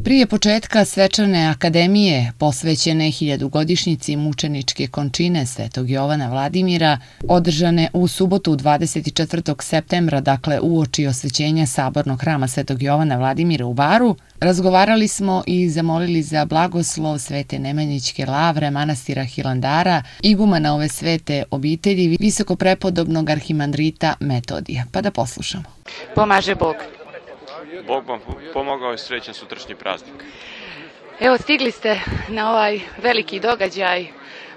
Prije početka svečane akademije posvećene 1000-godišnjici mučeničke končine Svetog Jovana Vladimira, održane u subotu 24. septembra, dakle uoči osvećenja sabornog hrama Svetog Jovana Vladimira u Baru, razgovarali smo i zamolili za blagoslov Svete Nemanjićke lavre manastira Hilandara, igumana ove svete obitelji, visokoprepodobnog arhimandrita Metodija. Pa da poslušamo. Pomaže Bog. Bog vam pomogao i srećan sutrašnji praznik. Evo, stigli ste na ovaj veliki događaj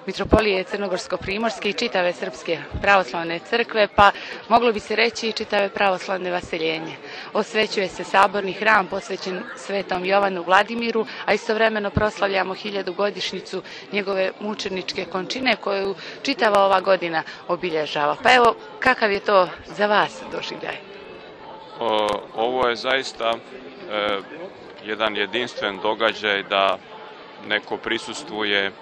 Mitropolije Crnogorsko-Primorske i čitave Srpske pravoslavne crkve, pa moglo bi se reći i čitave pravoslavne vaseljenje. Osvećuje se saborni hram posvećen Svetom Jovanu Vladimiru, a istovremeno proslavljamo 1000-godišnjicu njegove mučeničke končine koju čitava ova godina obilježava. Pa evo, kakav je to za vas doživljaj? Ovo je zaista jedan jedinstven događaj da neko prisustvuje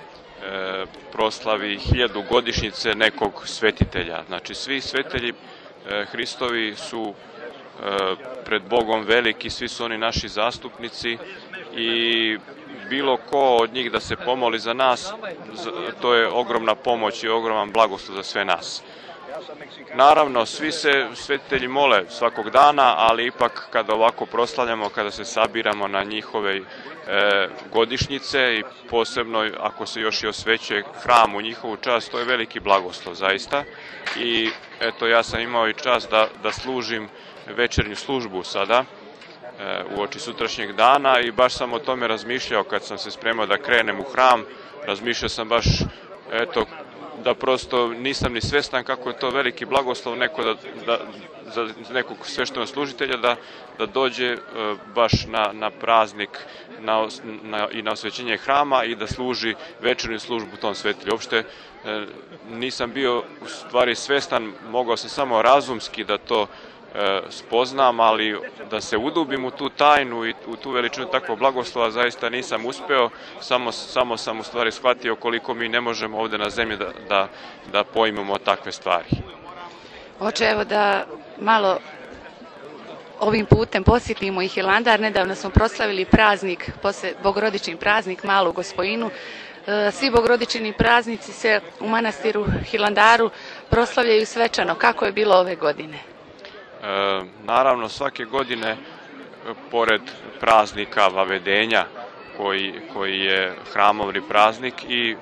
proslavi 1000-godišnjice nekog svetitelja. Znači, svi svetitelji Hristovi su pred Bogom veliki, svi su oni naši zastupnici i bilo ko od njih da se pomoli za nas, to je ogromna pomoć i ogroman blagoslov za sve nas. Naravno, svi se svetitelji mole svakog dana, ali ipak kada ovako proslavljamo, kada se sabiramo na njihove godišnjice i posebno ako se još i osvećuje hram u njihovu čast, to je veliki blagoslov zaista. I eto, ja sam imao i čast da služim večernju službu sada uoči sutrašnjeg dana i baš sam o tome razmišljao kad sam se spremao da krenem u hram. Razmišljao sam baš, eto, da prosto nisam ni svestan kako je to veliki blagoslov za nekog sveštenog služitelja da dođe baš na praznik i na osvećenje hrama i da služi večernju službu tom svetitelju. Uopšte nisam bio u stvari svestan, mogao sam samo razumski da to spoznam, ali da se udubim u tu tajnu i u tu veličinu takvog blagoslova zaista nisam uspeo, samo sam u stvari shvatio koliko mi ne možemo ovde na zemlji da pojmemo takve stvari. Oče, evo da malo ovim putem posjetimo i Hilandar. Nedavno smo proslavili praznik, bogorodični praznik, Malu Gospojinu. Svi bogorodični praznici se u manastiru Hilandaru proslavljaju svečano. Kako je bilo ove godine? Naravno, svake godine, pored praznika Vavedenja, koji je hramovni praznik, i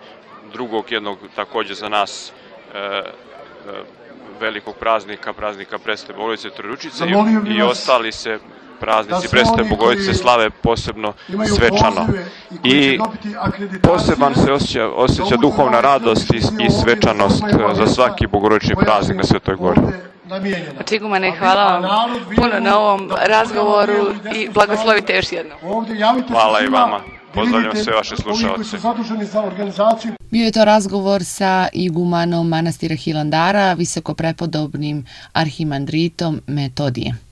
drugog jednog takođe za nas velikog praznika Presvete Bogorodice Trojeručice, i ostali se praznici Presvete Bogorodice slave posebno svečano. I poseban se osjeća duhovna radost i svečanost za svaki bogorodični praznik na Svetoj Gori. Igumane, hvala vam puno na ovom razgovoru i blagoslovite još jednom. Hvala i vama. Pozdravljam sve vaše slušalce. Bio je to razgovor sa igumanom manastira Hilandara, visokoprepodobnim arhimandritom Metodijem.